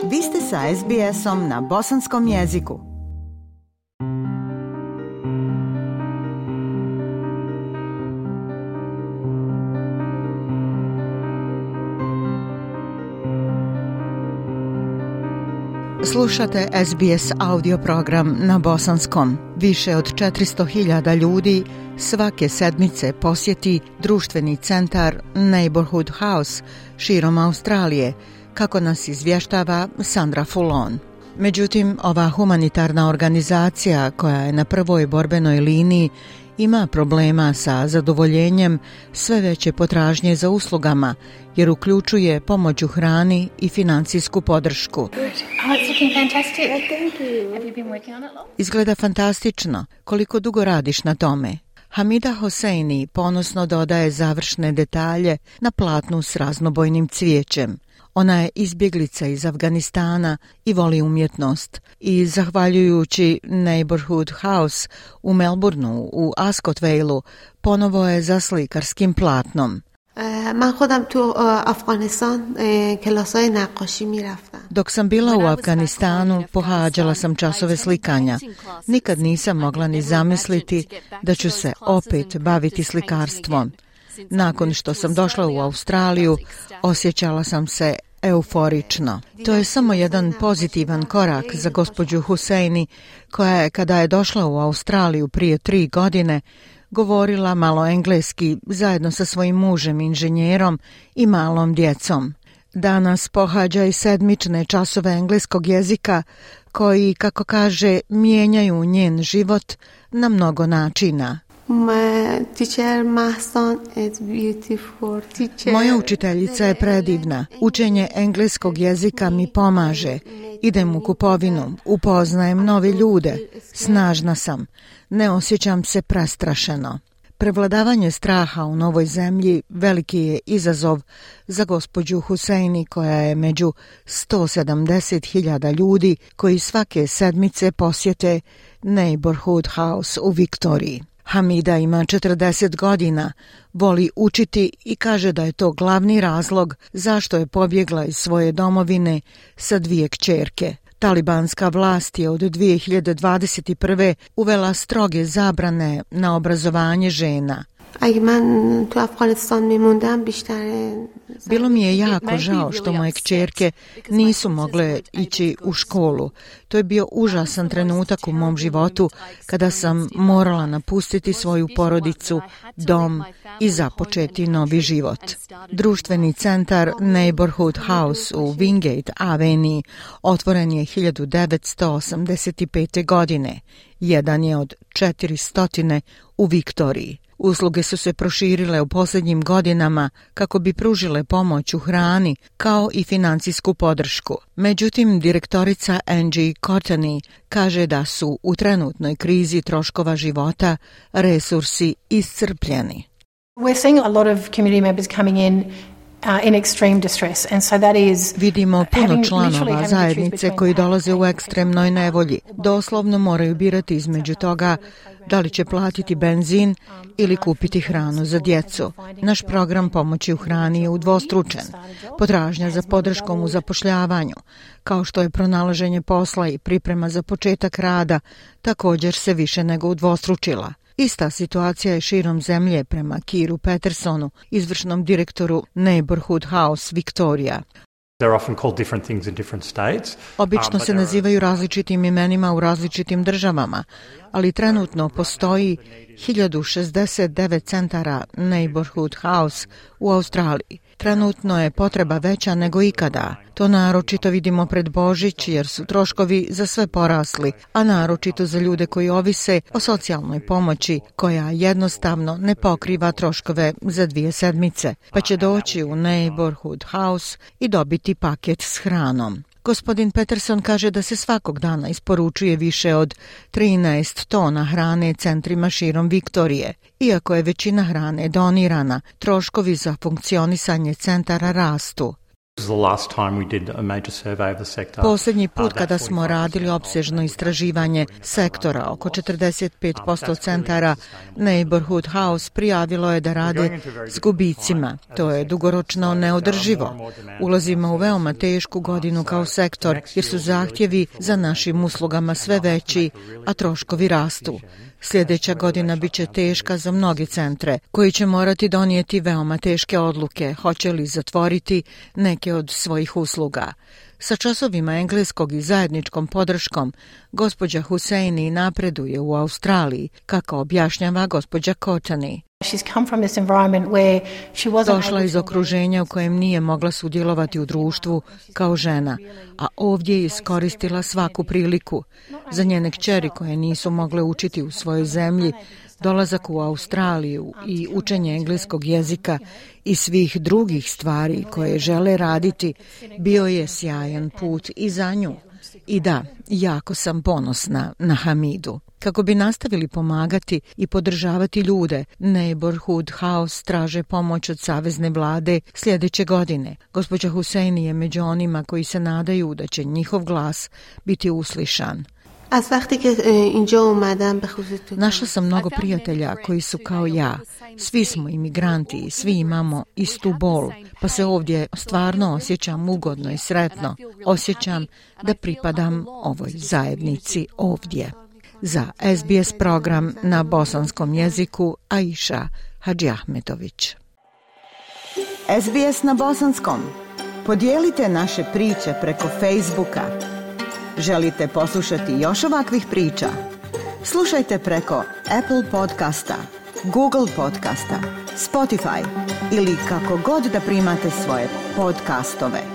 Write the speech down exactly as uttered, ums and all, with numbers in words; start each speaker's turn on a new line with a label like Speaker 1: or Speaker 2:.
Speaker 1: Vi ste sa es bi esom na bosanskom jeziku. Slušate es bi es audio program na bosanskom. Više od četiristo hiljada ljudi svake sedmice posjeti društveni centar Neighborhood House širom Australije, kako nas izvještava Sandra Fulon. Međutim, ova humanitarna organizacija koja je na prvoj borbenoj liniji ima problema sa zadovoljenjem sve veće potražnje za uslugama, jer uključuje pomoć u hrani i financijsku podršku. Izgleda fantastično. Koliko dugo radiš na tome? Hamida Hosseini ponosno dodaje završne detalje na platnu s raznobojnim cvijećem. Ona je izbjeglica iz Afganistana i voli umjetnost i zahvaljujući Neighborhood House u Melbourneu u Ascot Valeu ponovo je za slikarskim platnom. Dok sam bila u Afganistanu, pohađala sam časove slikanja. Nikad nisam mogla ni zamisliti da ću se opet baviti slikarstvom. Nakon što sam došla u Australiju, osjećala sam se euforično. To je samo jedan pozitivan korak za gospođu Husseini, koja je, kada je došla u Australiju prije tri godine, govorila malo engleski zajedno sa svojim mužem, inženjerom i malom djecom. Danas pohađa i sedmične časove engleskog jezika koji, kako kaže, mijenjaju njen život na mnogo načina. Moja učiteljica je predivna. Učenje engleskog jezika mi pomaže. Idem u kupovinu, upoznajem nove ljude. Snažna sam. Ne osjećam se prestrašeno. Prevladavanje straha u novoj zemlji veliki je izazov za gospođu Husseini, koja je među sto sedamdeset hiljada ljudi koji svake sedmice posjete Neighborhood House u Viktoriji. Hamida ima četrdeset godina, voli učiti i kaže da je to glavni razlog zašto je pobjegla iz svoje domovine sa dvije kćerke. Talibanska vlast je od dvije hiljade dvadeset prve uvela stroge zabrane na obrazovanje žena. Bilo mi je jako žao što moje kćerke nisu mogle ići u školu. To je bio užasan trenutak u mom životu kada sam morala napustiti svoju porodicu, dom i započeti novi život. Društveni centar Neighborhood House u Wingate Avenue otvoren je hiljadu devetsto osamdeset pete. godine. Jedan je od četiristo u Viktoriji. Usluge su se proširile u posljednjim godinama kako bi pružile pomoć u hrani kao i financijsku podršku. Međutim, direktorica Angie Courtney kaže da su u trenutnoj krizi troškova života resursi iscrpljeni.
Speaker 2: We're seeing a lot of community members coming in Uh, in extreme distress, and so that is
Speaker 1: Vidimo puno članova zajednice koji dolaze u ekstremnoj nevolji. Doslovno moraju birati između toga da li će platiti benzin ili kupiti hranu za djecu. Naš program pomoći u hrani je udvostručen. Potražnja za podrškom u zapošljavanju, kao što je pronalaženje posla i priprema za početak rada, također se više nego udvostručila. Ista situacija je širom zemlje prema Kiru Petersonu, izvršnom direktoru Neighborhood House Victoria. Obično se nazivaju različitim imenima u različitim državama, ali trenutno postoji hiljadu šezdeset devet centara Neighborhood House u Australiji. Trenutno je potreba veća nego ikada. To naročito vidimo pred Božić jer su troškovi za sve porasli, a naročito za ljude koji ovise o socijalnoj pomoći koja jednostavno ne pokriva troškove za dvije sedmice, pa će doći u Neighborhood House i dobiti paket s hranom. Gospodin Peterson kaže da se svakog dana isporučuje više od trinaest tona hrane centrima širom Viktorije. Iako je većina hrane donirana, troškovi za funkcionisanje centara rastu. Posljednji put kada smo radili opsežno istraživanje sektora, oko četrdeset pet posto centara Neighborhood House prijavilo je da rade s gubicima. To je dugoročno neodrživo. Ulazimo u veoma tešku godinu kao sektor jer su zahtjevi za našim uslugama sve veći, a troškovi rastu. Sljedeća godina bit će teška za mnoge centre, koji će morati donijeti veoma teške odluke, hoće li zatvoriti neke od svojih usluga. Sa časovima engleskog i zajedničkom podrškom, gospođa Husseini napreduje u Australiji, kako objašnjava gospođa Kotani. Došla iz okruženja u kojem nije mogla sudjelovati u društvu kao žena, a ovdje je iskoristila svaku priliku. Za njene kćeri koje nisu mogle učiti u svojoj zemlji, dolazak u Australiju i učenje engleskog jezika i svih drugih stvari koje žele raditi bio je sjajan put i za nju. I da, jako sam ponosna na Hamidu. Kako bi nastavili pomagati i podržavati ljude, Neighborhood House traže pomoć od savezne vlade sljedeće godine. Gospođa Husseini je među onima koji se nadaju da će njihov glas biti uslišan. Našla sam mnogo prijatelja koji su kao ja. Svi smo imigranti i svi imamo istu bol, pa se ovdje stvarno osjećam ugodno i sretno. Osjećam da pripadam ovoj zajednici ovdje. Za S B S program na bosanskom jeziku Aisha Hadžiahmetović.
Speaker 3: S B S na bosanskom. Podijelite naše priče preko Facebooka. Želite poslušati još ovakvih priča? Slušajte preko Apple podcasta, Google podcasta, Spotify ili kako god da primate svoje podcastove.